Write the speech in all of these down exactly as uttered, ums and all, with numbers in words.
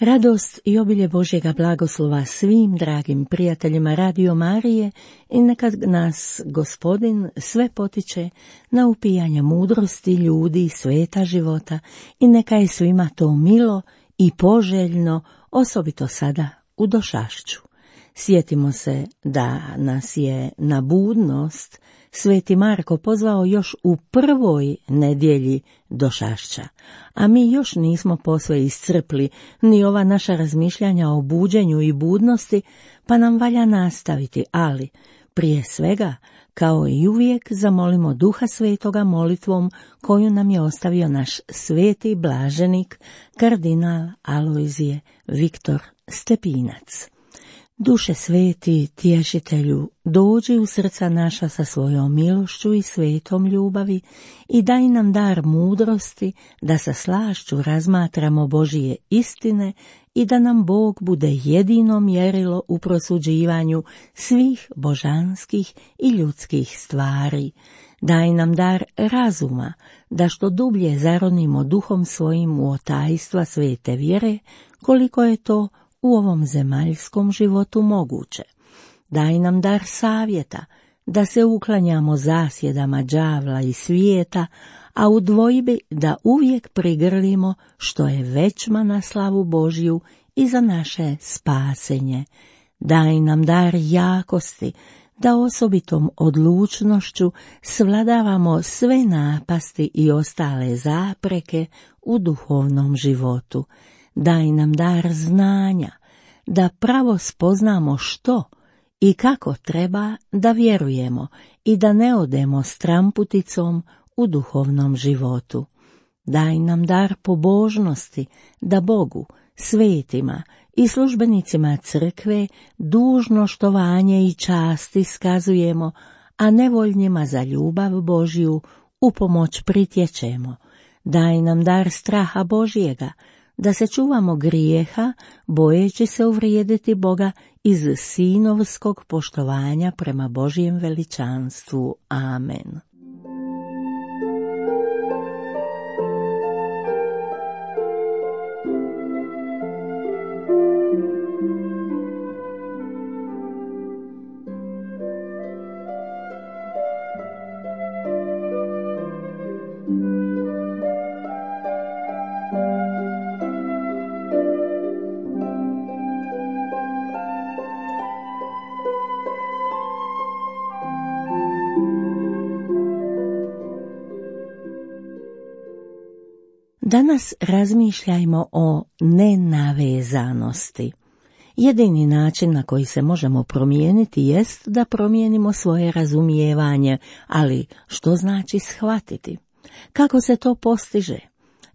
Radost i obilje Božjega blagoslova svim dragim prijateljima Radio Marije i neka nas Gospodin sve potiče na upijanje mudrosti ljudi i sveta života i neka je svima to milo i poželjno, osobito sada u došašću. Sjetimo se da nas je na budnost Sveti Marko pozvao još u prvoj nedjelji došašća, a mi još nismo posve iscrpli ni ova naša razmišljanja o buđenju i budnosti, pa nam valja nastaviti, ali prije svega, kao i uvijek, zamolimo Duha Svetoga molitvom koju nam je ostavio naš sveti blaženik, kardinal Alojzije Viktor Stepinac. Duše sveti, tješitelju, dođi u srca naša sa svojom milošću i svetom ljubavi i daj nam dar mudrosti da sa slašću razmatramo Božije istine i da nam Bog bude jedino mjerilo u prosuđivanju svih božanskih i ljudskih stvari. Daj nam dar razuma, da što dublje zaronimo duhom svojim u otajstva svete vjere, koliko je to u ovom zemaljskom životu moguće. Daj nam dar savjeta, da se uklanjamo zasjedama đavla i svijeta, a u dvojbi da uvijek prigrlimo što je većma na slavu Božju i za naše spasenje. Daj nam dar jakosti, da osobitom odlučnošću svladavamo sve napasti i ostale zapreke u duhovnom životu. Daj nam dar znanja, da pravo spoznamo što i kako treba da vjerujemo i da ne odemo stramputicom u duhovnom životu. Daj nam dar pobožnosti, da Bogu, svetima i službenicima crkve dužno štovanje i čast iskazujemo, a nevoljnima za ljubav Božju u pomoć pritječemo. Daj nam dar straha Božjega, da se čuvamo grijeha, bojeći se uvrijediti Boga iz sinovskog poštovanja prema Božjem veličanstvu. Amen. Danas razmišljajmo o nenavezanosti. Jedini način na koji se možemo promijeniti jest da promijenimo svoje razumijevanje, ali što znači shvatiti? Kako se to postiže?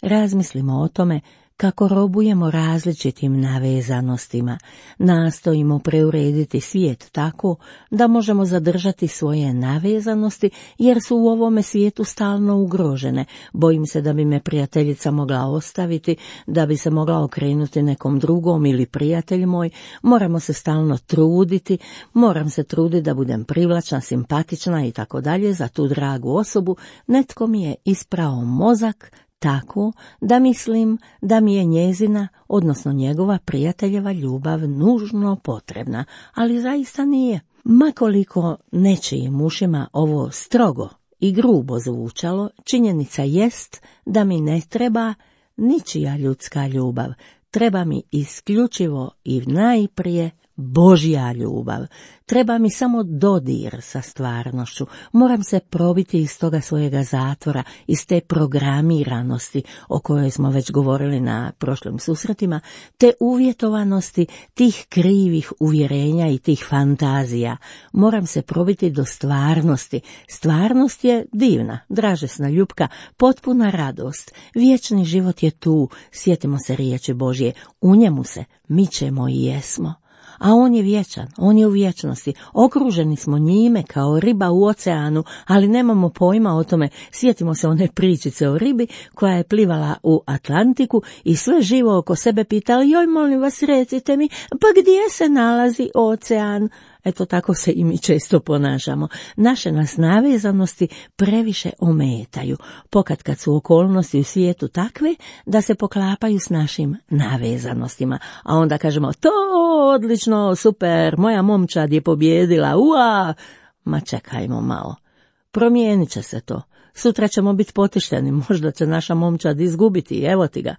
Razmislimo o tome kako robujemo različitim navezanostima, nastojimo preurediti svijet tako da možemo zadržati svoje navezanosti jer su u ovome svijetu stalno ugrožene. Bojim se da bi me prijateljica mogla ostaviti, da bi se mogla okrenuti nekom drugom ili prijatelj moj. Moramo se stalno truditi, moram se truditi da budem privlačna, simpatična i tako dalje za tu dragu osobu. Netko mi je isprao mozak tako da mislim da mi je njezina, odnosno njegova prijateljeva ljubav nužno potrebna, ali zaista nije. Makoliko nečijim ušima ovo strogo i grubo zvučalo, činjenica jest da mi ne treba ničija ljudska ljubav, treba mi isključivo i najprije Božja ljubav. Treba mi samo dodir sa stvarnošću. Moram se probiti iz toga svojega zatvora, iz te programiranosti o kojoj smo već govorili na prošlim susretima, te uvjetovanosti tih krivih uvjerenja i tih fantazija. Moram se probiti do stvarnosti. Stvarnost je divna, dražesna ljubka, potpuna radost. Vječni život je tu, sjetimo se riječi Božje, u njemu se mičemo i jesmo. A on je vječan, on je u vječnosti, okruženi smo njime kao riba u oceanu, ali nemamo pojma o tome. Sjetimo se one pričice o ribi koja je plivala u Atlantiku i sve živo oko sebe pitala, joj molim vas recite mi, pa gdje se nalazi ocean? Eto tako se i mi često ponašamo. Naše nas navezanosti previše ometaju, pokad kad su okolnosti u svijetu takve da se poklapaju s našim navezanostima. A onda kažemo, to odlično, super, moja momčad je pobjedila, ua! Ma čekajmo malo, promijenit će se to. Sutra ćemo biti potišteni, možda će naša momčad izgubiti, evo ti ga.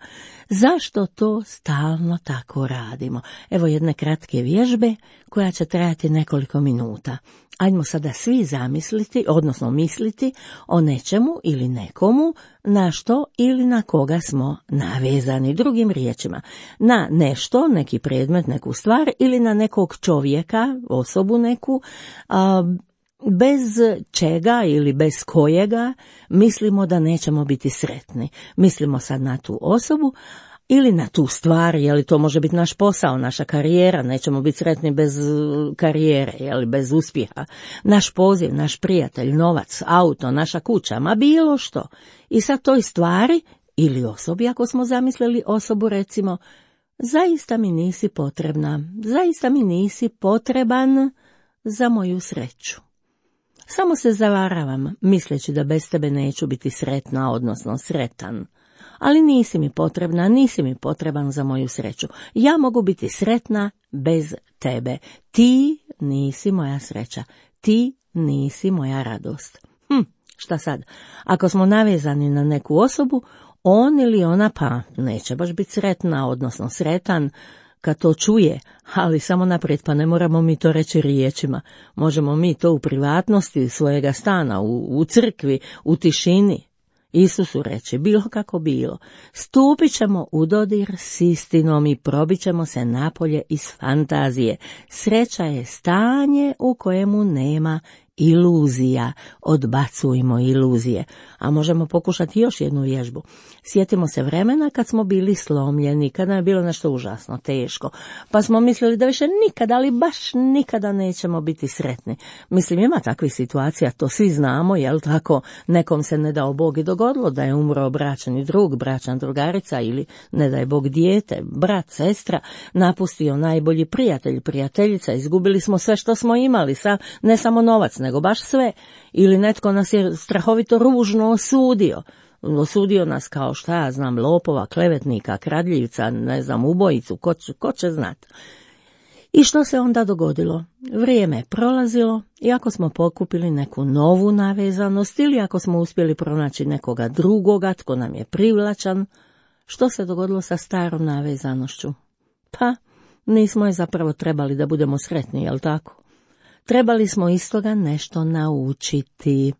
Zašto to stalno tako radimo? Evo jedne kratke vježbe koja će trajati nekoliko minuta. Ajmo sada svi zamisliti, odnosno misliti o nečemu ili nekomu na što ili na koga smo navezani. Drugim riječima, na nešto, neki predmet, neku stvar ili na nekog čovjeka, osobu neku, a, bez čega ili bez kojega mislimo da nećemo biti sretni. Mislimo sad na tu osobu ili na tu stvar, je li to može biti naš posao, naša karijera, nećemo biti sretni bez karijere, je li bez uspjeha, naš poziv, naš prijatelj, novac, auto, naša kuća, ma bilo što. I sad toj stvari ili osobi, ako smo zamislili osobu, recimo, zaista mi nisi potrebna, zaista mi nisi potreban za moju sreću. Samo se zavaravam, misleći da bez tebe neću biti sretna, odnosno sretan. Ali nisi mi potrebna, nisi mi potreban za moju sreću. Ja mogu biti sretna bez tebe. Ti nisi moja sreća. Ti nisi moja radost. Hm, šta sad? Ako smo navezani na neku osobu, on ili ona pa neće baš biti sretna, odnosno sretan, kad to čuje, ali samo naprijed, pa ne moramo mi to reći riječima. Možemo mi to u privatnosti svojega stana, u, u crkvi, u tišini Isusu reći, bilo kako bilo. Stupit ćemo u dodir s istinom i probit ćemo se napolje iz fantazije. Sreća je stanje u kojemu nema iluzija. Odbacujmo iluzije. A možemo pokušati još jednu vježbu. Sjetimo se vremena kad smo bili slomljeni, kad nam je bilo nešto užasno teško, pa smo mislili da više nikada, ali baš nikada nećemo biti sretni. Mislim, ima takvih situacija, to svi znamo, jel tako? Nekom se ne dao Bog i dogodilo da je umro bračni drug, bračna drugarica ili ne daj Bog dijete, brat, sestra, napustio najbolji prijatelj, prijateljica, izgubili smo sve što smo imali, sa, ne samo novac, nego baš sve. Ili netko nas je strahovito ružno osudio. Osudio nas kao šta ja znam, lopova, klevetnika, kradljivca, ne znam, ubojicu, ko će, ko će znat. I što se onda dogodilo? Vrijeme je prolazilo i ako smo pokupili neku novu navezanost ili ako smo uspjeli pronaći nekoga drugoga tko nam je privlačan, što se dogodilo sa starom navezanošću? Pa, nismo je zapravo trebali da budemo sretni, jel tako? Trebali smo iz toga nešto naučiti.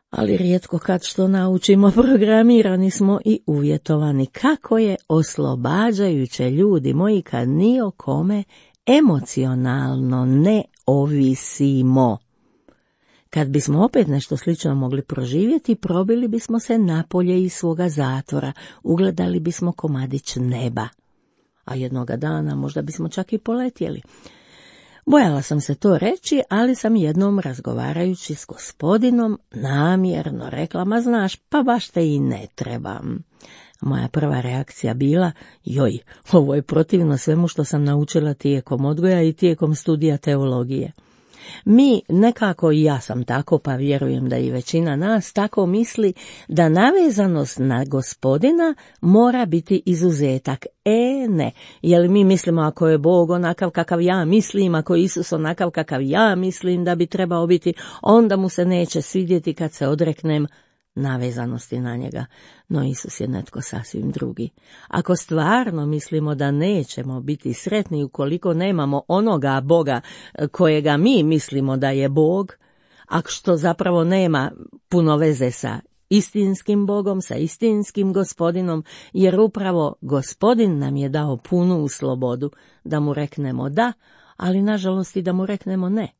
Ali rijetko kad što naučimo, programirani smo i uvjetovani. Kako je oslobađajuće, ljudi moji, kad ni o kome emocionalno ne ovisimo. Kad bismo opet nešto slično mogli proživjeti, probili bismo se napolje iz svoga zatvora, ugledali bismo komadić neba. A jednoga dana možda bismo čak i poletjeli. Bojala sam se to reći, ali sam jednom razgovarajući s gospodinom namjerno rekla, ma znaš, pa baš te i ne trebam. Moja prva reakcija bila, joj, ovo je protivno svemu što sam naučila tijekom odgoja i tijekom studija teologije. Mi nekako, i ja sam tako, pa vjerujem da i većina nas tako misli, da navezanost na gospodina mora biti izuzetak. E, ne, jer mi mislimo ako je Bog onakav kakav ja mislim, ako je Isus onakav kakav ja mislim da bi trebao biti, onda mu se neće svidjeti kad se odreknem navezanosti na njega. No Isus je netko sasvim drugi. Ako stvarno mislimo da nećemo biti sretni ukoliko nemamo onoga Boga kojega mi mislimo da je Bog, a što zapravo nema puno veze sa istinskim Bogom, sa istinskim gospodinom, jer upravo gospodin nam je dao punu slobodu da mu reknemo da, ali nažalost i da mu reknemo ne.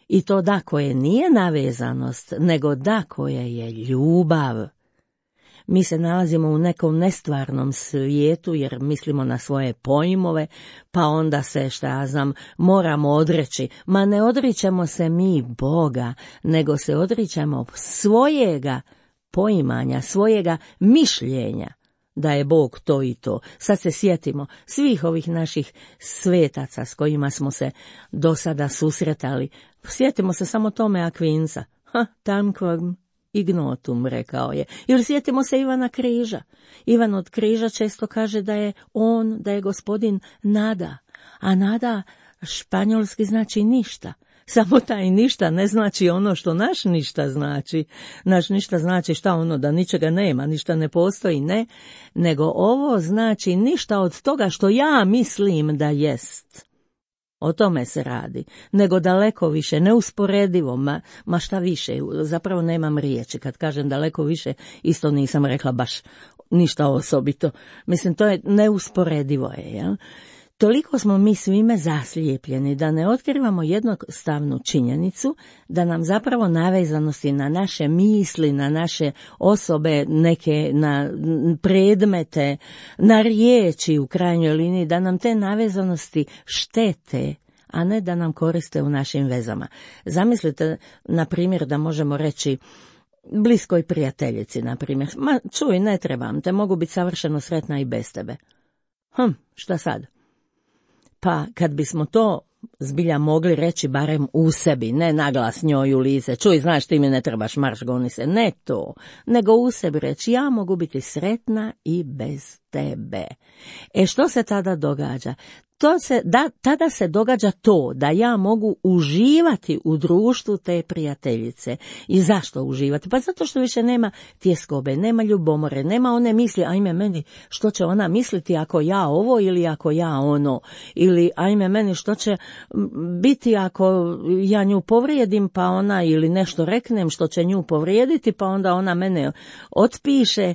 I to da koje nije navezanost, nego da koje je ljubav. Mi se nalazimo u nekom nestvarnom svijetu jer mislimo na svoje pojmove, pa onda se, šta ja znam, moramo odreći. Ma ne odričemo se mi Boga, nego se odričemo svojega poimanja, svojega mišljenja da je Bog to i to. Sad se sjetimo svih ovih naših svetaca s kojima smo se do sada susretali. Sjetimo se samo Tome Akvinca. Ha, tanquam ignotum, rekao je. Ili sjetimo se Ivana Križa. Ivan od Križa često kaže da je on, da je gospodin nada. A nada španjolski znači ništa. Samo taj ništa ne znači ono što naš ništa znači. Naš ništa znači šta ono, da ničega nema, ništa ne postoji, ne. Nego ovo znači ništa od toga što ja mislim da jest. O tome se radi, nego daleko više, neusporedivo, ma, ma šta više, zapravo nemam riječi, kad kažem daleko više, isto nisam rekla baš ništa osobito, mislim to je neusporedivo je, jel? Toliko smo mi svime zaslijepljeni da ne otkrivamo jednostavnu činjenicu da nam zapravo navezanosti na naše misli, na naše osobe, neke na predmete, na riječi u krajnjoj liniji, da nam te navezanosti štete, a ne da nam koriste u našim vezama. Zamislite, na primjer, da možemo reći bliskoj prijateljici, na primjer, ma čuj, ne trebam te, mogu biti savršeno sretna i bez tebe. Hm, šta sad? Pa kad bismo to zbilja mogli reći barem u sebi, ne naglas njoj u lice, čuj, znaš, ti mi ne trebaš, marš, goni se, ne to, nego u sebi reći, ja mogu biti sretna i bez tebe. E što se tada događa? To se, da, tada se događa to da ja mogu uživati u društvu te prijateljice. I zašto uživati? Pa zato što više nema tjeskobe, nema ljubomore, nema one misli, ajme meni, što će ona misliti ako ja ovo ili ako ja ono, ili ajme meni, što će biti ako ja nju povrijedim pa ona, ili nešto reknem što će nju povrijediti pa onda ona mene otpiše.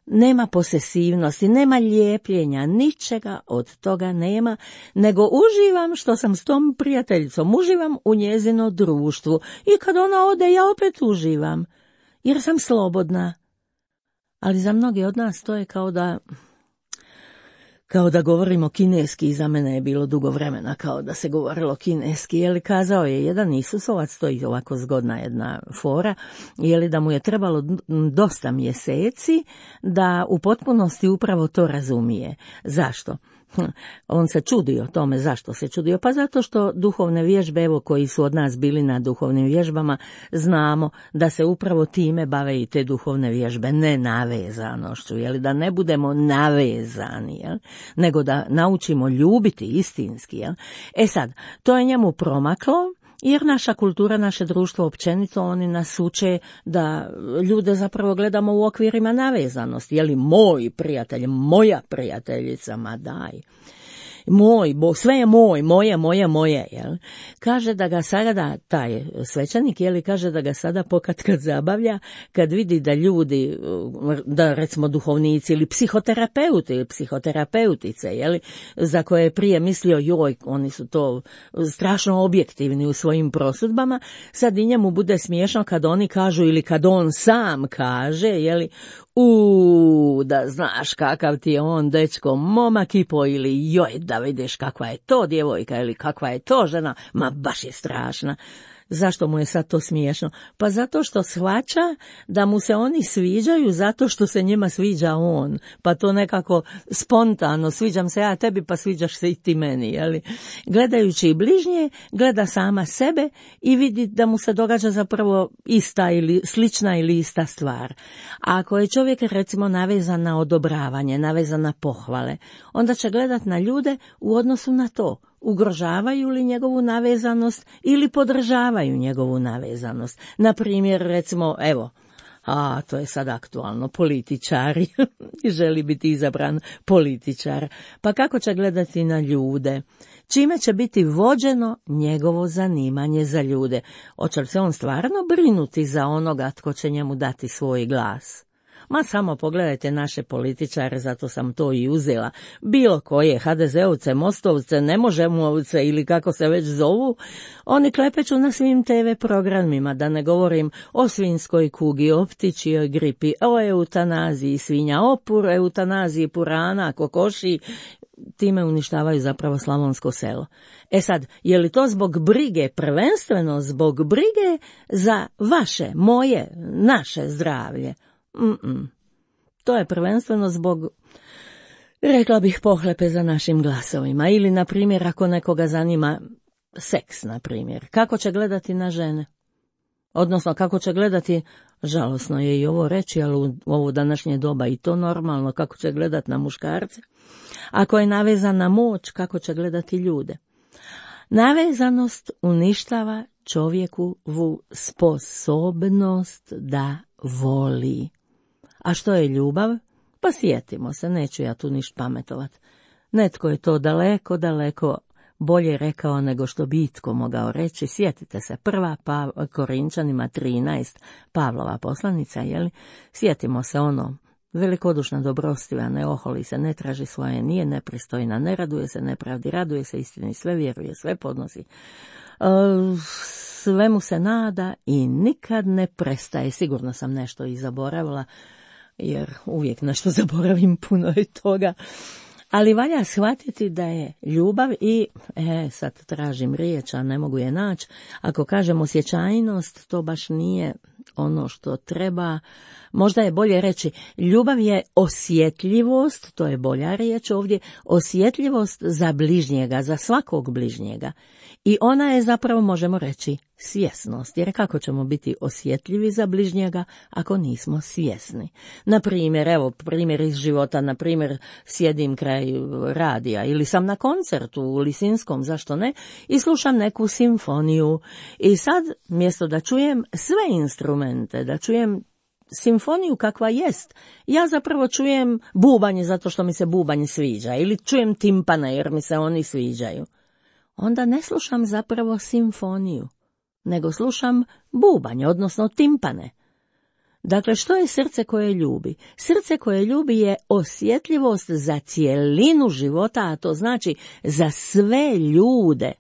Nema posesivnosti, nema lijepljenja, ničega od toga nema, nego uživam što sam s tom prijateljicom, uživam u njezino društvu i kad ona ode ja opet uživam, jer sam slobodna. Ali za mnogi od nas to je kao da, kao da govorimo kineski, i za mene je bilo dugo vremena kao da se govorilo kineski, jer kazao je jedan Isusovac, to je ovako zgodna jedna fora, jer da mu je trebalo dosta mjeseci da u potpunosti upravo to razumije. Zašto? On se čudio tome. Zašto se čudio? Pa zato što duhovne vježbe, evo koji su od nas bili na duhovnim vježbama, znamo da se upravo time bave i te duhovne vježbe, ne navezanošću, jel? Da ne budemo navezani, jel? Nego da naučimo ljubiti istinski. Jel? E sad, to je njemu promaklo, jer naša kultura, naše društvo općenito, oni nas uče da ljude zapravo gledamo u okvirima navezanosti. Je li moj prijatelj, moja prijateljica, ma daj. Moj, bo, sve je moj, moje, moje, moje, jel? Kaže da ga sada, taj svećanik, jel, kaže da ga sada pokad kad zabavlja, kad vidi da ljudi, da recimo duhovnici ili psihoterapeuti ili psihoterapeutice, jel, za koje je prije mislio, joj, oni su to strašno objektivni u svojim prosudbama, sad i njemu bude smiješno kad oni kažu ili kad on sam kaže, jel, u da znaš kakav ti je on dečko, momak i po, ili joj da vidiš kakva je to djevojka ili kakva je to žena, ma baš je strašna. Zašto mu je sad to smiješno? Pa zato što shvaća da mu se oni sviđaju zato što se njima sviđa on, pa to nekako spontano, sviđam se ja tebi pa sviđaš se i ti meni, jeli? Gledajući i bližnje, gleda sama sebe i vidi da mu se događa zapravo ista ili slična ili ista stvar. A ako je čovjek recimo navezan na odobravanje, navezan na pohvale, onda će gledat na ljude u odnosu na to. Ugrožavaju li njegovu navezanost ili podržavaju njegovu navezanost. Na primjer, recimo, evo, a to je sad aktualno, političari, želi biti izabran političar. Pa kako će gledati na ljude? Čime će biti vođeno njegovo zanimanje za ljude? Hoće li se on stvarno brinuti za onoga tko će njemu dati svoj glas? Ma samo pogledajte naše političare, zato sam to i uzela. Bilo koje, ha de zeovce, Mostovce, Nemožemovce ili kako se već zovu, oni klepeću na svim te ve programima, da ne govorim o svinjskoj kugi, o ptičjoj gripi, o eutanaziji svinja, o pur, eutanaziji purana, kokoši, time uništavaju zapravo slavonsko selo. E sad, je li to zbog brige, prvenstveno zbog brige za vaše, moje, naše zdravlje? Mm-mm. To je prvenstveno zbog, rekla bih, pohlepe za našim glasovima. Ili, na primjer, ako nekoga zanima seks, na primjer, kako će gledati na žene? Odnosno, kako će gledati, žalosno je i ovo reći, ali u ovo današnje doba i to normalno, kako će gledati na muškarce. Ako je navezan na moć, kako će gledati ljude? Navezanost uništava čovjekovu sposobnost da voli. A što je ljubav? Pa sjetimo se, neću ja tu ništa pametovat. Netko je to daleko, daleko bolje rekao nego što bi itko mogao reći. Sjetite se, prva pa, Korinčanima trinaest, Pavlova poslanica, jeli? Sjetimo se ono, velikodušna, dobrostiva, ne oholi se, ne traži svoje, nije nepristojna, ne raduje se nepravdi, raduje se istini, sve vjeruje, sve podnosi. Uh, svemu se nada i nikad ne prestaje. Sigurno sam nešto i zaboravila, jer uvijek nešto zaboravim, puno je toga. Ali valja shvatiti da je ljubav i, e, sad tražim riječ, a ne mogu je naći, ako kažem osjećajnost, to baš nije ono što treba. Možda je bolje reći, ljubav je osjetljivost, to je bolja riječ ovdje, osjetljivost za bližnjega, za svakog bližnjega. I ona je zapravo, možemo reći, svjesnost, jer kako ćemo biti osjetljivi za bližnjega ako nismo svjesni? Na primjer, evo primjer iz života, na primjer sjedim kraj radija ili sam na koncertu u Lisinskom, zašto ne, i slušam neku simfoniju i sad mjesto da čujem sve instrumente, da čujem simfoniju kakva jest, ja zapravo čujem bubanje zato što mi se bubanje sviđa ili čujem timpane jer mi se oni sviđaju. Onda ne slušam zapravo simfoniju, nego slušam bubanje, odnosno timpane. Dakle, što je srce koje ljubi? Srce koje ljubi je osjetljivost za cijelinu života, a to znači za sve ljude.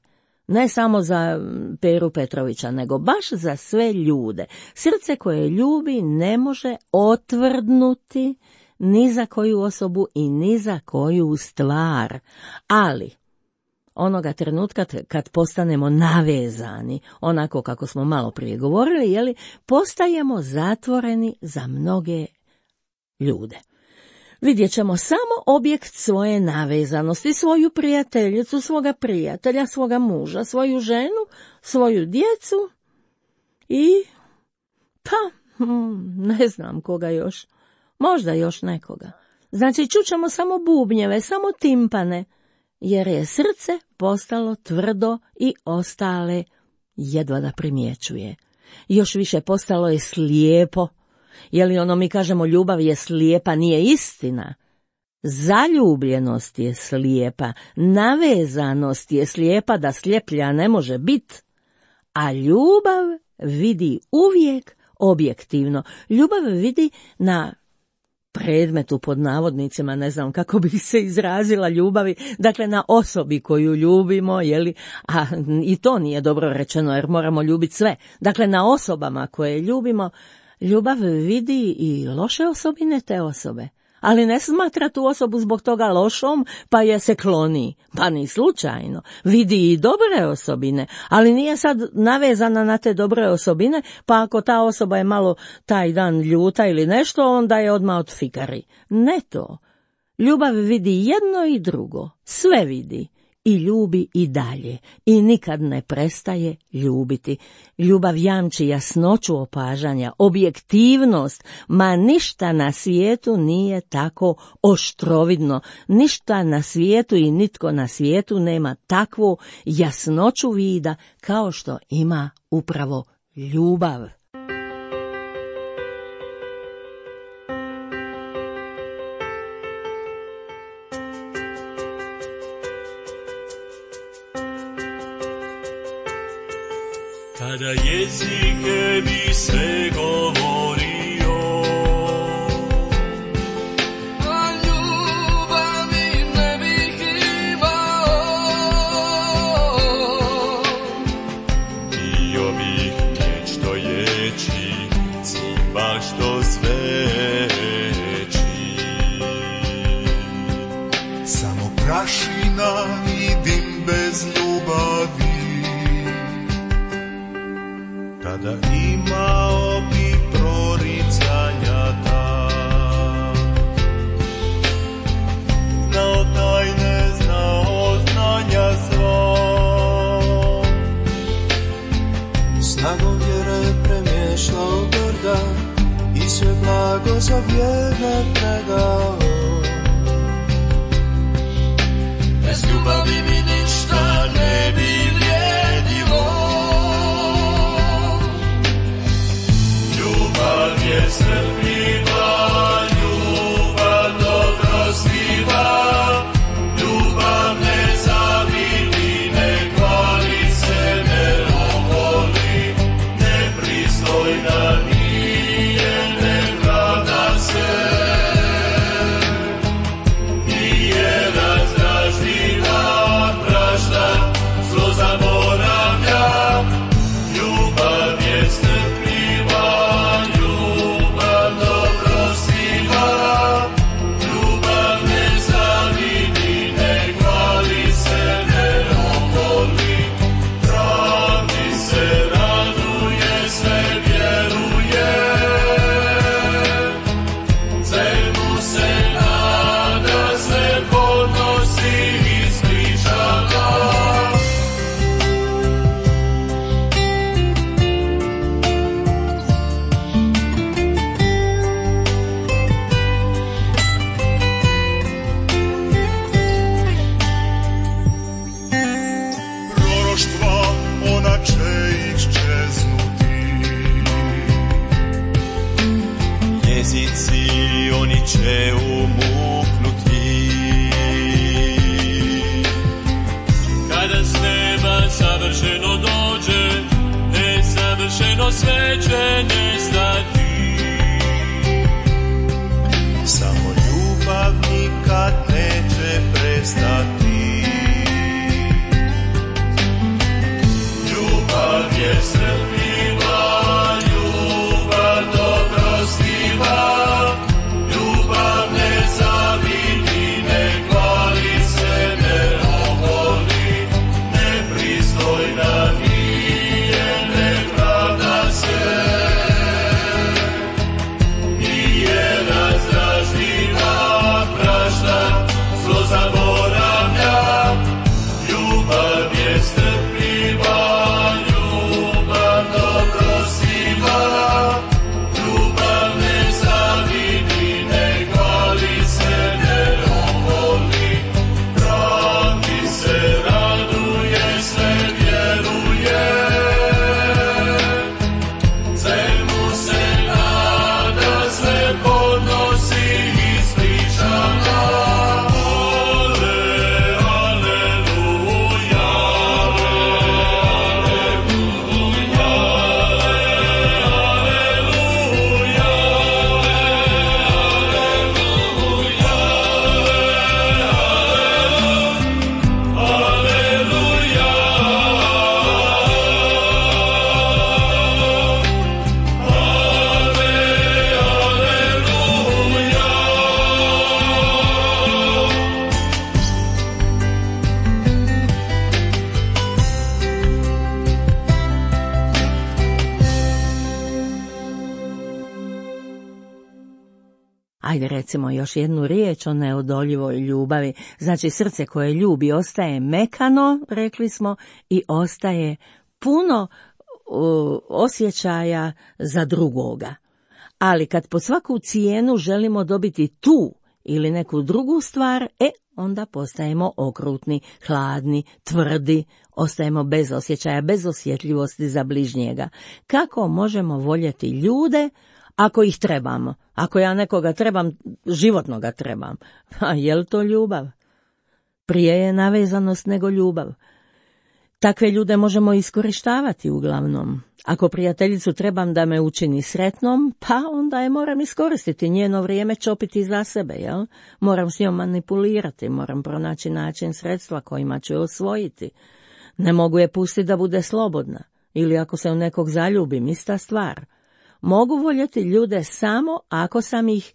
Ne samo za Peru Petrovića, nego baš za sve ljude. Srce koje ljubi ne može otvrdnuti ni za koju osobu i ni za koju stvar. Ali onoga trenutka kad postanemo navezani, onako kako smo malo prije govorili, jeli, postajemo zatvoreni za mnoge ljude. Vidjet ćemo samo objekt svoje navezanosti, svoju prijateljicu, svoga prijatelja, svoga muža, svoju ženu, svoju djecu i, pa, ne znam koga još, možda još nekoga. Znači, čućemo samo bubnjeve, samo timpane, jer je srce postalo tvrdo i ostale jedva da primjećuje. Još više postalo je slijepo. Je li ono mi kažemo ljubav je slijepa, nije istina. Zaljubljenost je slijepa, navezanost je slijepa da sljeplja ne može biti. A ljubav vidi uvijek objektivno. Ljubav vidi na predmetu, pod navodnicima, ne znam kako bih se izrazila, ljubavi, dakle na osobi koju ljubimo, jeli, a i to nije dobro rečeno jer moramo ljubiti sve. Dakle, na osobama koje ljubimo, ljubav vidi i loše osobine te osobe, ali ne smatra tu osobu zbog toga lošom, pa je se kloni, pa ni slučajno. Vidi i dobre osobine, ali nije sad navezana na te dobre osobine, pa ako ta osoba je malo taj dan ljuta ili nešto, onda je odmah odfikari. Ne to. Ljubav vidi jedno i drugo, sve vidi. I ljubi i dalje, i nikad ne prestaje ljubiti. Ljubav jamči jasnoću opažanja, objektivnost, ma ništa na svijetu nije tako oštrovidno, ništa na svijetu i nitko na svijetu nema takvu jasnoću vida kao što ima upravo ljubav. Kada jezike bi sve govorio, a ljubavi ne bih imao, bio bih vječno ječi, cimba što zveči. Samo prašina i dim bez ljubavi, tada imao bi proricanja ta. i sve blago za vjerne predao. Bez ljubavi mi ništa ne bi vrijedilo. Ljubav je strpljiva, ljubav dobrostiva, ljubav ne zavidi, ne hvali se, ne oholi, nepristojna nije, ne pravda se. Nije razdražljiva, prašta, zlo zaboravlja. Ljubav je strpljiva, ljubav dobrostiva, ljubav ne zavidi, ne hvali se, ne oholi, pravdi se raduje, sve vjeruje, svemu se nada, sve podnosi i ispričava. Proroštva, ona će iščeznuti, jezici, oni će umuknuti. Kada s neba savršeno dođe, nesavršeno sve će nestati. Samo ljubav nikad neće prestati. Ljubav je strpljiva, ljubav dobrostiva, ljubav ne zavidi, ne hvali se, ne oholi, nepristojna nije, ne pravda se. Nije razdražljiva, prašta, zlo zaboravlja. Ljubav je strpljiva, ljubav dobrostiva, ljubav ne zavidi, ne hvali se, ne oholi, pravdi se raduje, sve vjeruje, svemu se nada, sve podnosi i ispričava. Ale, aleluja, Ajde recimo još jednu riječ o neodoljivoj ljubavi. Znači srce koje ljubi ostaje mekano, rekli smo, i ostaje puno uh, osjećaja za drugoga. Ali kad po svaku cijenu želimo dobiti tu ili neku drugu stvar, e, onda postajemo okrutni, hladni, tvrdi, ostajemo bez osjećaja, bez osjetljivosti za bližnjega. Kako možemo voljeti ljude ako ih trebamo? Ako ja nekoga trebam, životno ga trebam. A je li to ljubav? Prije je navezanost nego ljubav. Takve ljude možemo iskorištavati uglavnom. Ako prijateljicu trebam da me učini sretnom, pa onda je moram iskoristiti, njeno vrijeme čopiti za sebe, jel? Moram s njom manipulirati, moram pronaći način, sredstva kojima ću je osvojiti. Ne mogu je pustiti da bude slobodna. Ili ako se u nekog zaljubim, ista stvar. Mogu voljeti ljude samo ako sam ih,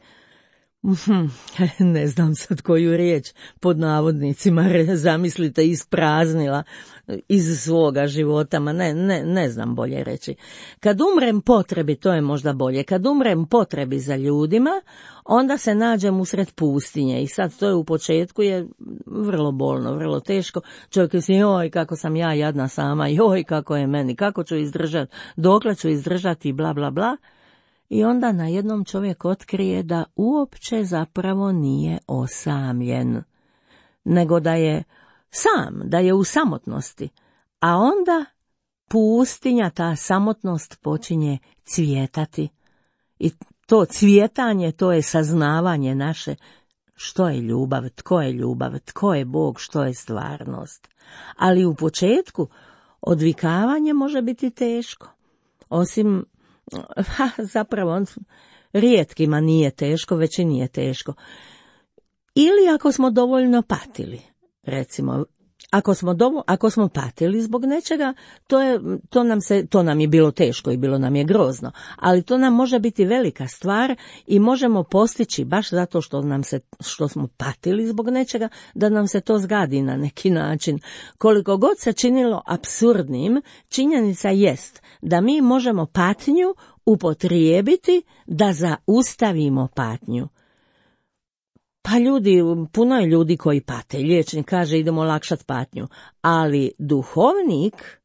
ne znam sad koju riječ, pod navodnicima, zamislite, ispraznila iz svoga života, ma ne, ne, ne znam bolje reći. Kad umrem potrebi, to je možda bolje, kad umrem potrebi za ljudima, onda se nađem usred pustinje i sad to je u početku je vrlo bolno, vrlo teško. Čovjek si, joj kako sam ja jadna sama, joj kako je meni, kako ću izdržati, dokle ću izdržati, bla bla bla. I onda na jednom čovjek otkrije da uopće zapravo nije osamljen, nego da je sam, da je u samotnosti, a onda pustinja, ta samotnost počinje cvjetati. I to cvjetanje, to je saznavanje naše što je ljubav, tko je ljubav, tko je Bog, što je stvarnost. Ali u početku odvikavanje može biti teško. Osim, ha, zapravo, rijetkima nije teško, većini je teško. Ili ako smo dovoljno patili, recimo, ako smo, dovo, ako smo patili zbog nečega, to, je, to, nam se, to nam je bilo teško i bilo nam je grozno, ali to nam može biti velika stvar i možemo postići, baš zato što, nam se, što smo patili zbog nečega, da nam se to zgadi na neki način. Koliko god se činilo apsurdnim, činjenica jest da mi možemo patnju upotrijebiti da zaustavimo patnju. Pa ljudi, puno je ljudi koji pate, liječnik kaže idemo olakšati patnju, ali duhovnik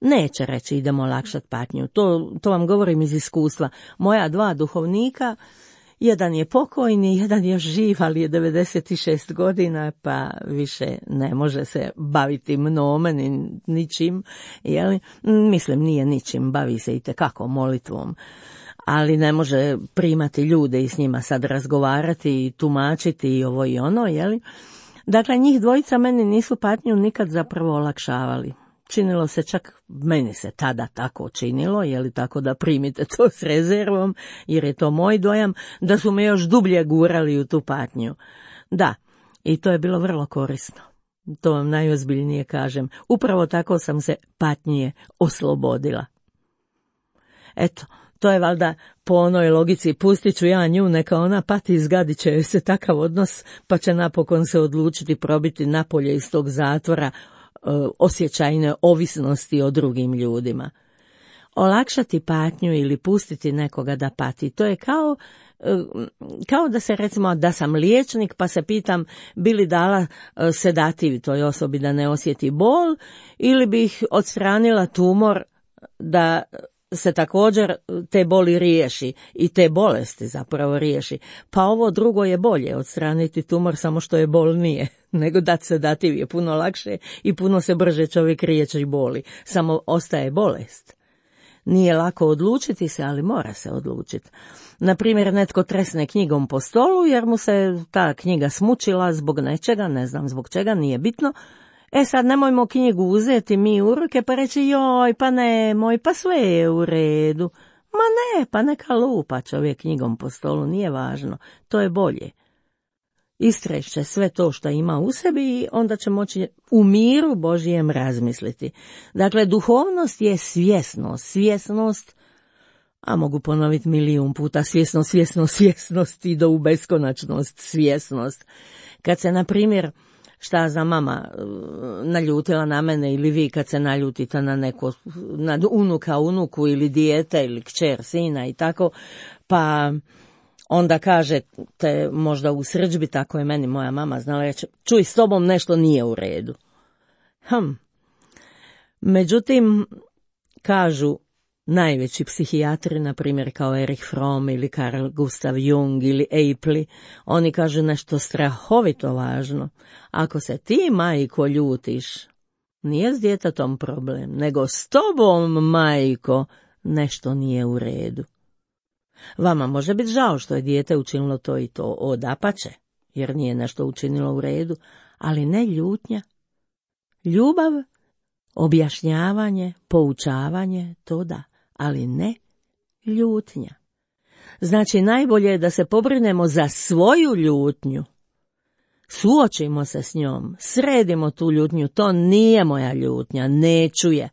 neće reći idemo olakšati patnju, to, to vam govorim iz iskustva. Moja dva duhovnika, jedan je pokojni, jedan je živ, ali je devedeset šest godina, pa više ne može se baviti mnome ni ničim, jeli? Mislim nije ničim, bavi se itekako molitvom. Ali ne može primati ljude i s njima sad razgovarati i tumačiti i ovo i ono, jeli? Dakle, njih dvojica meni nisu patnju nikad zapravo olakšavali. Činilo se čak, meni se tada tako činilo, jeli, tako da primite to s rezervom, jer je to moj dojam, da su me još dublje gurali u tu patnju. Da, i to je bilo vrlo korisno. To vam najozbiljnije kažem. Upravo tako sam se patnje oslobodila. Eto, to je valjda po onoj logici, pustit ću ja nju, neka ona pati, izgadit će joj se takav odnos, pa će napokon se odlučiti probiti napolje iz tog zatvora e, osjećajne ovisnosti o drugim ljudima. Olakšati patnju ili pustiti nekoga da pati, to je kao, e, kao da se recimo da sam liječnik pa se pitam bi li dala e, sedativ toj osobi da ne osjeti bol ili bih odstranila tumor da se također te boli riješi i te bolesti zapravo riješi. Pa ovo drugo je bolje, odstraniti tumor, samo što je bolnije, nego dati sedativ je puno lakše i puno se brže čovjek riječi boli, samo ostaje bolest. Nije lako odlučiti se, ali mora se odlučiti. Naprimjer, netko tresne knjigom po stolu jer mu se ta knjiga smučila zbog nečega, ne znam zbog čega, nije bitno. E sad nemojmo knjigu uzeti mi u ruke pa reći joj pa nemoj, pa sve je u redu. Ma ne, pa neka lupa čovjek knjigom po stolu, nije važno, to je bolje. Istrešće sve to što ima u sebi i onda će moći u miru Božijem razmisliti. Dakle, duhovnost je svjesnost, svjesnost, a mogu ponoviti milijun puta, svjesnost, svjesnost, svjesnost i do u beskonačnost svjesnost. Kad se, na primjer, šta za mama naljutila na mene ili vi kad se naljutite na neko, na unuka, unuku ili dijete ili kćer, sina i tako, pa onda kažete možda u srdžbi, tako je meni moja mama znala reći, čuj, s tobom nešto nije u redu. Hm. Međutim, kažu najveći psihijatri, na primjer kao Erich Fromm ili Carl Gustav Jung ili Apli, oni kažu nešto strahovito važno. Ako se ti, majko, ljutiš, nije s djetetom problem, nego s tobom, majko, nešto nije u redu. Vama može biti žao što je dijete učinilo to i to, odapače, jer nije nešto učinilo u redu, ali ne ljutnja. Ljubav, objašnjavanje, poučavanje, to da, ali ne ljutnja. Znači, najbolje je da se pobrinemo za svoju ljutnju. Suočimo se s njom, sredimo tu ljutnju, to nije moja ljutnja, neću je.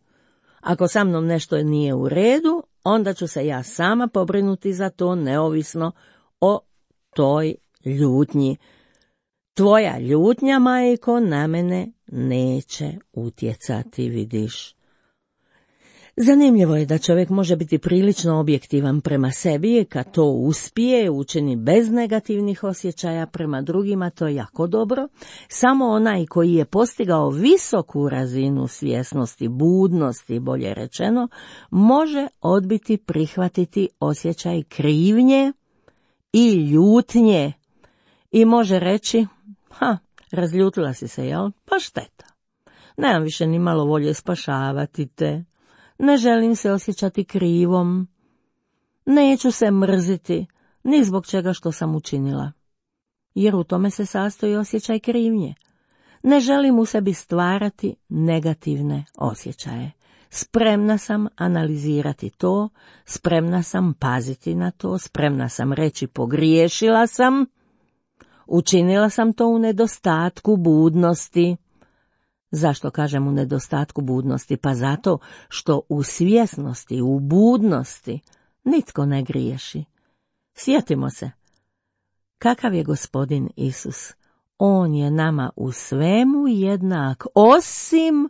Ako sa mnom nešto nije u redu, onda ću se ja sama pobrinuti za to, neovisno o toj ljutnji. Tvoja ljutnja, majko, na mene neće utjecati, vidiš. Zanimljivo je da čovjek može biti prilično objektivan prema sebi, kad to uspije, učini bez negativnih osjećaja prema drugima, to je jako dobro. Samo onaj koji je postigao visoku razinu svjesnosti, budnosti, bolje rečeno, može odbiti prihvatiti osjećaj krivnje i ljutnje i može reći, ha, razljutila si se, jel? Pa šteta. Nemam više ni malo volje spašavati te. Ne želim se osjećati krivom. Neću se mrziti, ni zbog čega što sam učinila. Jer u tome se sastoji osjećaj krivnje. Ne želim u sebi stvarati negativne osjećaje. Spremna sam analizirati to, spremna sam paziti na to, spremna sam reći pogriješila sam, učinila sam to u nedostatku budnosti. Zašto kažem u nedostatku budnosti? Pa zato što u svjesnosti, u budnosti nitko ne griješi. Sjetimo se, kakav je Gospodin Isus? On je nama u svemu jednak, osim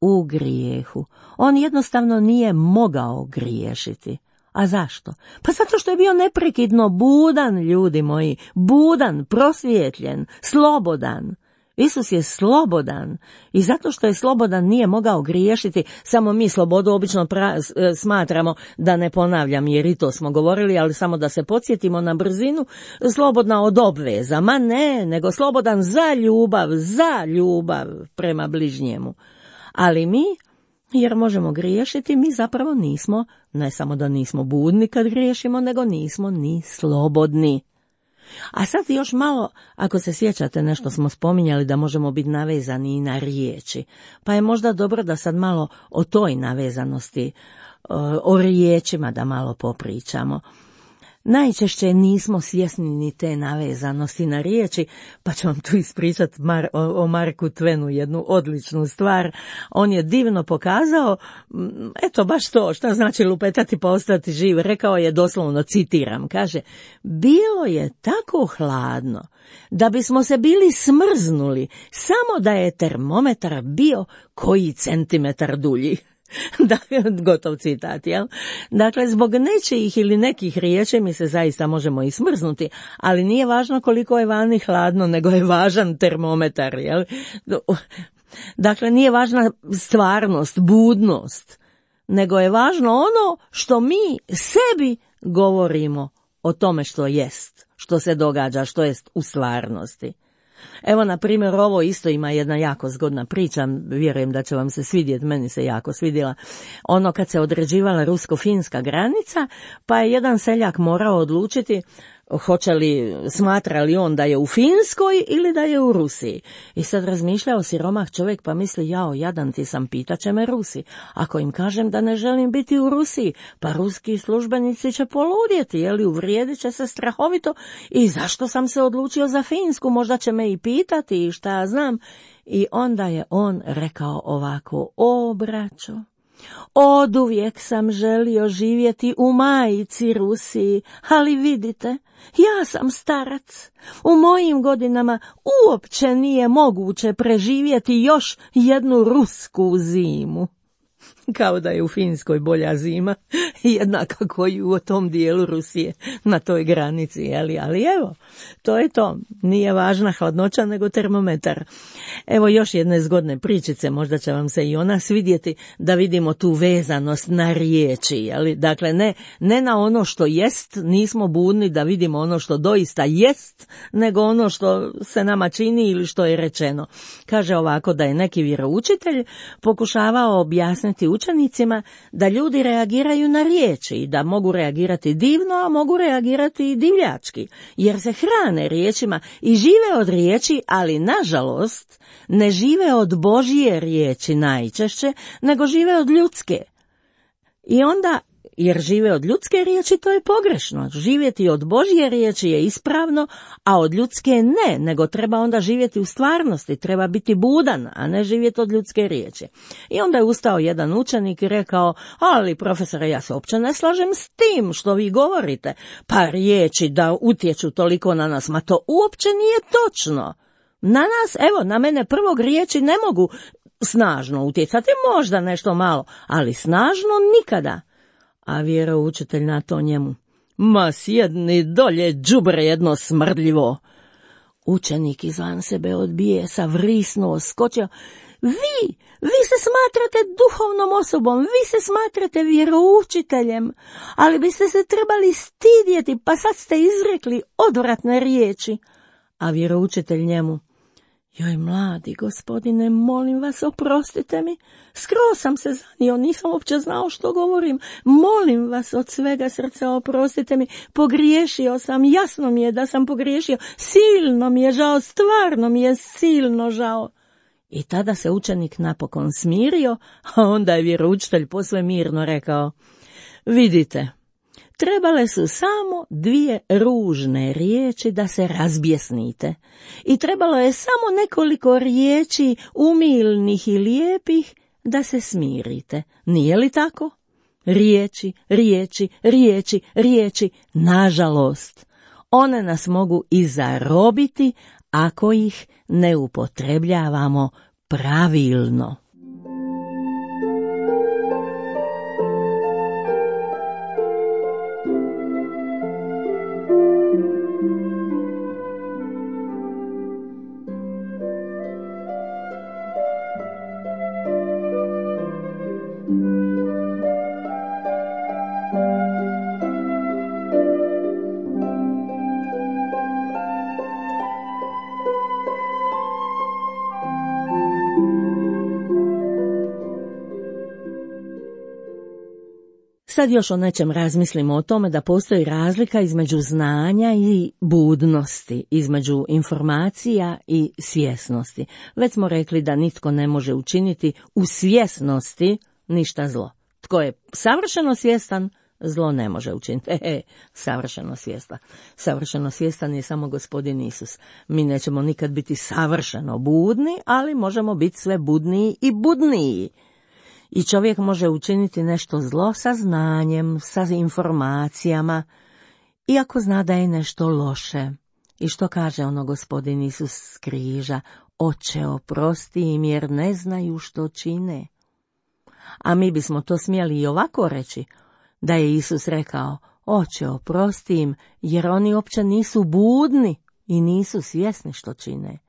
u grijehu. On jednostavno nije mogao griješiti. A zašto? Pa zato što je bio neprekidno budan, ljudi moji, budan, prosvjetljen, slobodan. Isus je slobodan i zato što je slobodan nije mogao griješiti, samo mi slobodu obično pra- smatramo, da ne ponavljam jer i to smo govorili, ali samo da se podsjetimo na brzinu, slobodna od obveza, ma ne, nego slobodan za ljubav, za ljubav prema bližnjemu. Ali mi, jer možemo griješiti, mi zapravo nismo, ne samo da nismo budni kad griješimo, nego nismo ni slobodni. A sad još malo, ako se sjećate, nešto smo spominjali da možemo biti navezani i na riječi, pa je možda dobro da sad malo o toj navezanosti, o riječima da malo popričamo. Najčešće nismo svjesni ni te navezanosti na riječi, pa ću vam tu ispričati Mar- o, o Marku Twenu jednu odličnu stvar. On je divno pokazao, eto baš to, šta znači lupetati pa ostati živ. Rekao je doslovno, citiram, kaže, bilo je tako hladno da bismo se bili smrznuli samo da je termometar bio koji centimetar dulji. Da, gotov citat, jel? Dakle, zbog nečijih ili nekih riječi mi se zaista možemo i smrznuti, ali nije važno koliko je vani hladno, nego je važan termometar, jel? Dakle, nije važna stvarnost, budnost, nego je važno ono što mi sebi govorimo o tome što jest, što se događa, što jest u stvarnosti. Evo, na primjer, ovo isto ima jedna jako zgodna priča, vjerujem da će vam se svidjeti, meni se jako svidjela. Ono kad se određivala rusko-finska granica, pa je jedan seljak morao odlučiti hoće li, smatra li on da je u Finskoj ili da je u Rusiji. I sad razmišljao siromah čovjek pa misli, jao, jadan ti sam, pitaće me Rusi. Ako im kažem da ne želim biti u Rusiji, pa ruski službenici će poludjeti, jeli, uvrijedit će se strahovito i zašto sam se odlučio za Finsku, možda će me i pitati i šta ja znam. I onda je on rekao ovako, o braćo, oduvijek sam želio živjeti u majici Rusiji, ali vidite, ja sam starac. U mojim godinama uopće nije moguće preživjeti još jednu rusku zimu. Kao da je u Finskoj bolja zima, jednaka koju u tom dijelu Rusije, na toj granici, ali, ali evo, to je to, nije važna hladnoća nego termometar. Evo još jedne zgodne pričice, možda će vam se i ona svidjeti, da vidimo tu vezanost na riječi, ali, dakle ne, ne na ono što jest, nismo budni da vidimo ono što doista jest, nego ono što se nama čini ili što je rečeno. Kaže ovako da je neki vjeroučitelj pokušavao objasniti učenicima da ljudi reagiraju na riječi i da mogu reagirati divno, a mogu reagirati i divljački, jer se hrane riječima i žive od riječi, ali nažalost ne žive od Božje riječi najčešće, nego žive od ljudske. I onda, jer žive od ljudske riječi, to je pogrešno. Živjeti od Božje riječi je ispravno, a od ljudske ne, nego treba onda živjeti u stvarnosti, treba biti budan, a ne živjeti od ljudske riječi. I onda je ustao jedan učenik i rekao, ali profesore, ja se uopće ne slažem s tim što vi govorite, pa riječi da utječu toliko na nas, ma to uopće nije točno. Na nas, evo, na mene prvog riječi ne mogu snažno utjecati, možda nešto malo, ali snažno nikada. A vjeroučitelj na to njemu: ma sjedni dolje, đubre jedno smrdljivo. Učenik izvan sebe od bijesa vrisnuo, skočio: Vi, vi se smatrate duhovnom osobom, vi se smatrate vjeroučiteljem, ali biste se trebali stidjeti, pa sad ste izrekli odvratne riječi. A vjeroučitelj njemu: joj, mladi gospodine, molim vas, oprostite mi, skroz sam se zanio, nisam uopće znao što govorim, molim vas od svega srca, oprostite mi, pogriješio sam, jasno mi je da sam pogriješio, silno mi je žao, stvarno mi je silno žao. I tada se učenik napokon smirio, a onda je vjeroučitelj posve mirno rekao: vidite, trebale su samo dvije ružne riječi da se razbjesnite i trebalo je samo nekoliko riječi umilnih i lijepih da se smirite. Nije li tako? Riječi, riječi, riječi, riječi, nažalost, one nas mogu i zarobiti ako ih ne upotrebljavamo pravilno. Sad još o nečem razmislimo, o tome da postoji razlika između znanja i budnosti, između informacija i svjesnosti. Već smo rekli da nitko ne može učiniti u svjesnosti ništa zlo. Tko je savršeno svjestan, zlo ne može učiniti. E, e, savršeno svjestan. Savršeno svjestan je samo Gospodin Isus. Mi nećemo nikad biti savršeno budni, ali možemo biti sve budniji i budniji. I čovjek može učiniti nešto zlo sa znanjem, sa informacijama, iako zna da je nešto loše. I što kaže ono Gospodin Isus s križa? Oče, oprosti im jer ne znaju što čine. A mi bismo to smjeli i ovako reći, da je Isus rekao: Oče, oprosti im jer oni uopće nisu budni i nisu svjesni što čine.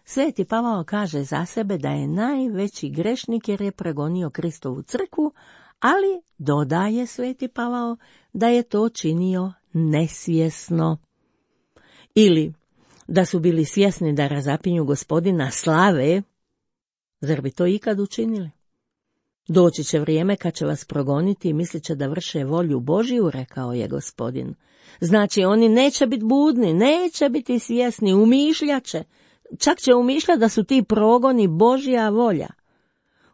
Sveti Pavao kaže za sebe da je najveći grešnik jer je pregonio Kristovu crkvu, ali dodaje Sveti Pavao da je to činio nesvjesno. Ili da su bili svjesni da razapinju Gospodina slave, zar bi to ikad učinili? Doći će vrijeme kad će vas progoniti i mislit će da vrše volju Božiju, rekao je Gospodin. Znači oni neće biti budni, neće biti svjesni, umišljaće. Čak će umišljati da su ti progoni Božja volja.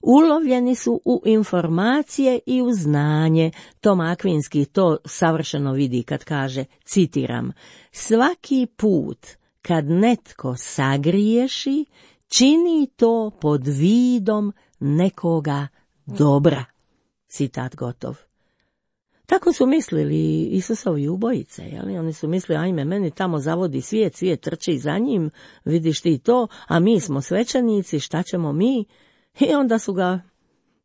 Ulovljeni su u informacije i u znanje. Tom Akvinski to savršeno vidi kad kaže, citiram: svaki put kad netko sagriješi, čini to pod vidom nekoga dobra. Citat gotov. Tako su mislili Isusovi ubojice, jeli? Oni su mislili, ajme, meni tamo zavodi svijet, svijet trči za njim, vidiš ti to, a mi smo svećenici, šta ćemo mi? I onda su ga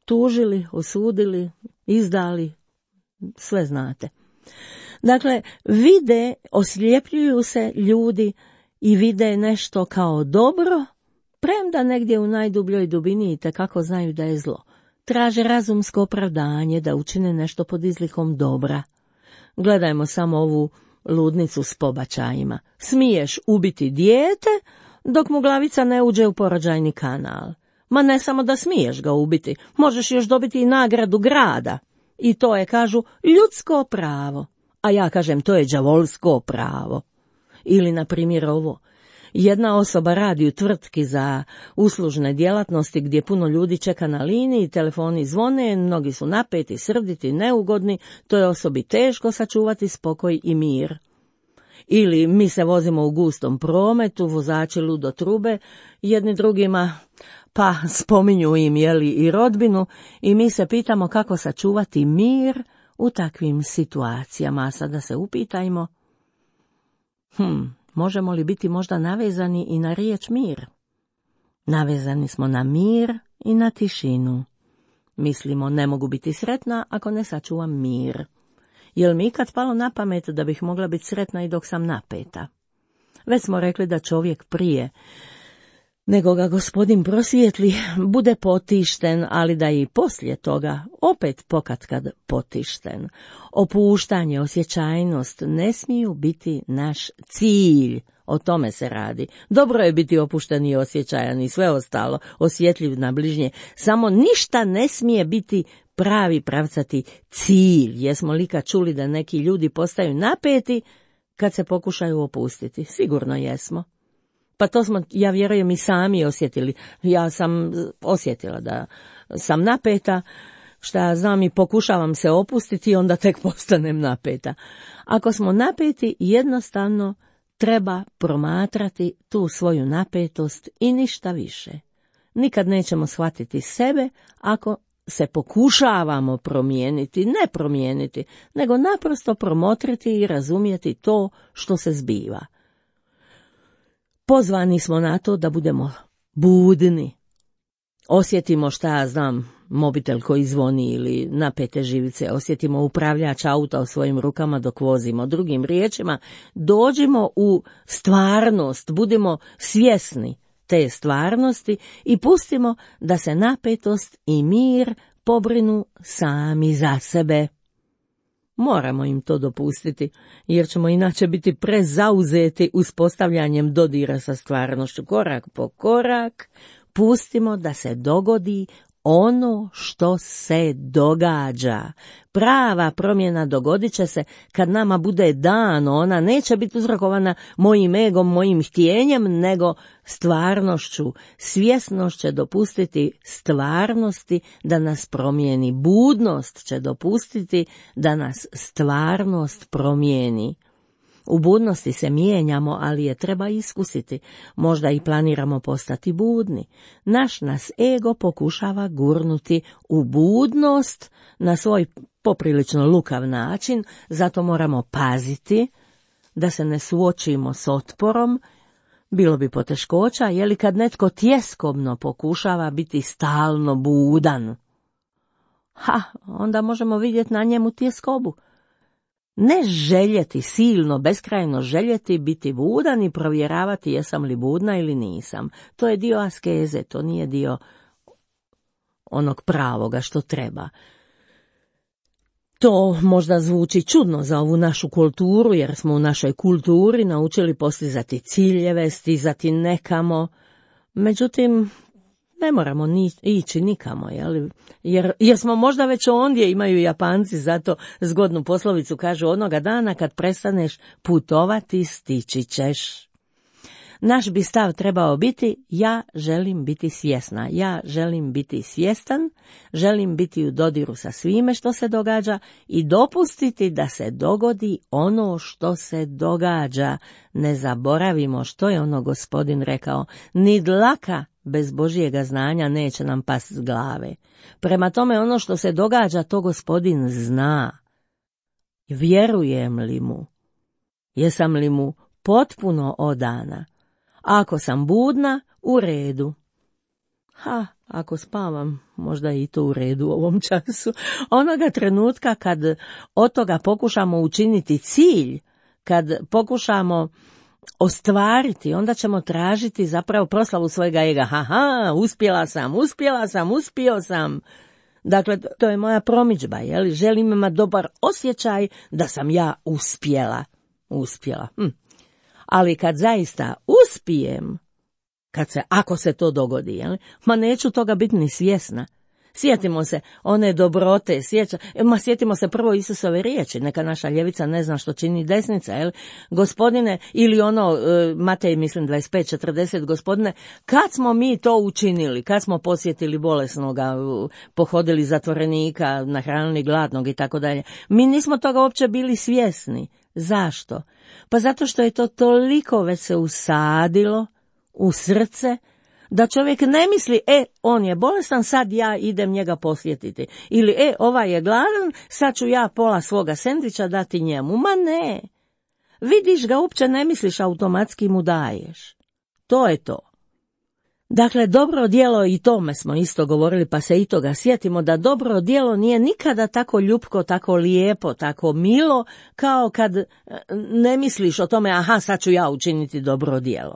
tužili, osudili, izdali, sve znate. Dakle, vide, osljepljuju se ljudi i vide nešto kao dobro, premda negdje u najdubljoj dubini itekako znaju da je zlo. Traže razumsko opravdanje da učine nešto pod izlikom dobra. Gledajmo samo ovu ludnicu s pobačajima. Smiješ ubiti dijete dok mu glavica ne uđe u porođajni kanal. Ma ne samo da smiješ ga ubiti, možeš još dobiti i nagradu grada. I to je, kažu, ljudsko pravo. A ja kažem, to je đavolsko pravo. Ili, na primjer, ovo. Jedna osoba radi u tvrtki za uslužne djelatnosti gdje puno ljudi čeka na liniji, telefoni zvone, mnogi su napeti, srditi, neugodni, to je osobi teško sačuvati spokoj i mir. Ili mi se vozimo u gustom prometu, vozači ludo trube, jedni drugima pa spominju im jeli i rodbinu i mi se pitamo kako sačuvati mir u takvim situacijama. A sada se upitajmo, hm, možemo li biti možda navezani i na riječ mir? Navezani smo na mir i na tišinu. Mislimo, ne mogu biti sretna ako ne sačuvam mir. Jel mi ikad palo na pamet da bih mogla biti sretna i dok sam napeta? Već smo rekli da čovjek prije nego ga Gospodin prosvijetli, bude potišten, ali da i poslije toga opet pokatkad potišten. Opuštanje, osjećajnost ne smiju biti naš cilj. O tome se radi. Dobro je biti opušten i osjećajan i sve ostalo, osjetljiv na bližnje. Samo ništa ne smije biti pravi pravcati cilj. Jesmo li kad čuli da neki ljudi postaju napeti kad se pokušaju opustiti? Sigurno jesmo. Pa to smo, ja vjerujem, i sami osjetili. Ja sam osjetila da sam napeta, šta znam, i pokušavam se opustiti, onda tek postanem napeta. Ako smo napeti, jednostavno treba promatrati tu svoju napetost i ništa više. Nikad nećemo shvatiti sebe ako se pokušavamo promijeniti, ne promijeniti, nego naprosto promotriti i razumjeti to što se zbiva. Pozvani smo na to da budemo budni. Osjetimo, šta ja znam, mobitel koji zvoni ili napete živice, osjetimo upravljač auta u svojim rukama dok vozimo. Drugim riječima, dođimo u stvarnost, budimo svjesni te stvarnosti i pustimo da se napetost i mir pobrinu sami za sebe. Moramo im to dopustiti, jer ćemo inače biti prezauzeti uspostavljanjem dodira sa stvarnošću. Korak po korak pustimo da se dogodi ono što se događa. Prava promjena dogodit će se kad nama bude dano. Ona neće biti uzrokovana mojim egom, mojim htjenjem, nego stvarnošću. Svjesnost će dopustiti stvarnosti da nas promijeni. Budnost će dopustiti da nas stvarnost promijeni. U budnosti se mijenjamo, ali je treba iskusiti. Možda i planiramo postati budni. Naš nas ego pokušava gurnuti u budnost na svoj poprilično lukav način, zato moramo paziti da se ne suočimo s otporom. Bilo bi poteškoća, je li kad netko tjeskobno pokušava biti stalno budan. Ha, onda možemo vidjeti na njemu tjeskobu. Ne željeti, silno, beskrajno željeti biti budan i provjeravati jesam li budna ili nisam. To je dio askeze, to nije dio onog pravoga što treba. To možda zvuči čudno za ovu našu kulturu, jer smo u našoj kulturi naučili postizati ciljeve, stizati nekamo. Međutim, ne moramo ni, ići nikamo, jel? Jer, jer smo možda već ondje, imaju Japanci, zato zgodnu poslovicu kažu, onoga dana kad prestaneš putovati, stići ćeš. Naš bi stav trebao biti, ja želim biti svjesna, ja želim biti svjestan, želim biti u dodiru sa svime što se događa i dopustiti da se dogodi ono što se događa. Ne zaboravimo što je ono Gospodin rekao, ni dlaka bez Božjega znanja neće nam past s glave. Prema tome ono što se događa, to Gospodin zna. Vjerujem li mu? Jesam li mu potpuno odana? Ako sam budna, u redu. Ha, ako spavam, možda i to u redu u ovom času. Onoga trenutka kad od toga pokušamo učiniti cilj, kad pokušamo ostvariti, onda ćemo tražiti zapravo proslavu svojega ega. Haha, uspjela sam, uspjela sam, uspio sam. Dakle, to je moja promidžba, je li? Želim imati dobar osjećaj da sam ja uspjela. Uspjela. Hm. Ali kad zaista uspijem, kad se, ako se to dogodi, je li? Ma neću toga biti ni svjesna. Sjetimo se one dobrote, sjeća, ma sjetimo se prvo Isusove riječi, neka naša ljevica ne zna što čini desnica, jel? Gospodine, ili ono, Matej, mislim, dvadeset pet četrdeset, Gospodine, kad smo mi to učinili, kad smo posjetili bolesnoga, pohodili zatvorenika, nahranili gladnog i tako dalje, mi nismo toga uopće bili svjesni. Zašto? Pa zato što je to toliko već se usadilo u srce, da čovjek ne misli, e, on je bolestan, sad ja idem njega posjetiti. Ili, e, ovaj je gladan, sad ću ja pola svoga sendviča dati njemu. Ma ne. Vidiš ga, uopće ne misliš, automatski mu daješ. To je to. Dakle, dobro djelo, i tome smo isto govorili, pa se i toga sjetimo, da dobro djelo nije nikada tako ljupko, tako lijepo, tako milo, kao kad ne misliš o tome, aha, sad ću ja učiniti dobro djelo.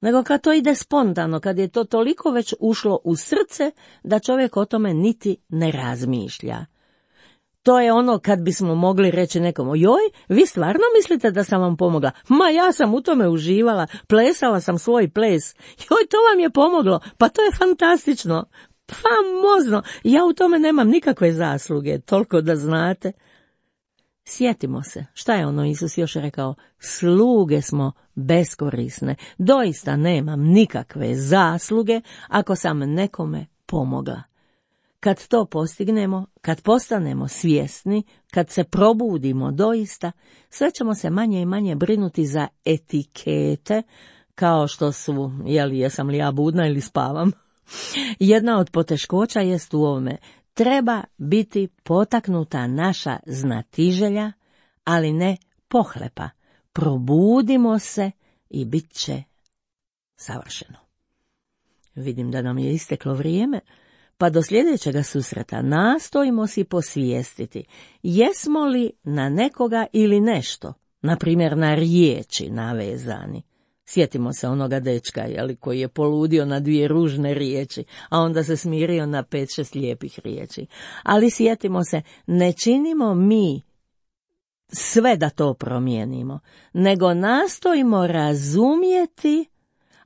Nego kad to ide spontano, kad je to toliko već ušlo u srce, da čovjek o tome niti ne razmišlja. To je ono kad bismo mogli reći nekomu, joj, vi stvarno mislite da sam vam pomogla? Ma ja sam u tome uživala, plesala sam svoj ples. Joj, to vam je pomoglo, pa to je fantastično, famozno, ja u tome nemam nikakve zasluge, toliko da znate. Sjetimo se, šta je ono Isus još rekao, sluge smo beskorisne, doista nemam nikakve zasluge ako sam nekome pomogla. Kad to postignemo, kad postanemo svjesni, kad se probudimo doista, sve ćemo se manje i manje brinuti za etikete, kao što su, jeli, jesam li ja budna ili spavam. Jedna od poteškoća jest u ovome, treba biti potaknuta naša znatiželja, ali ne pohlepa. Probudimo se i bit će savršeno. Vidim da nam je isteklo vrijeme, pa do sljedećega susreta nastojimo si posvijestiti, jesmo li na nekoga ili nešto, na primjer na riječi navezani. Sjetimo se onoga dečka, jeli, koji je poludio na dvije ružne riječi, a onda se smirio na pet, šest lijepih riječi. Ali sjetimo se, ne činimo mi sve da to promijenimo, nego nastojimo razumjeti,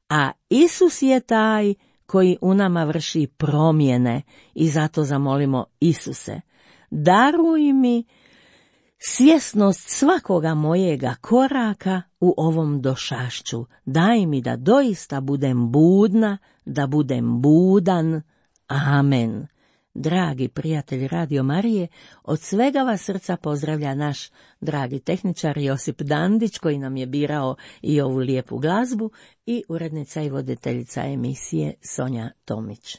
a Isus je taj koji u nama vrši promjene, i zato zamolimo Isuse, daruj mi svjesnost svakoga mojega koraka u ovom došašću, daj mi da doista budem budna, da budem budan. Amen. Dragi prijatelji Radio Marije, od svega vas srca pozdravlja naš dragi tehničar Josip Dandić, koji nam je birao i ovu lijepu glazbu, i urednica i voditeljica emisije Sonja Tomić.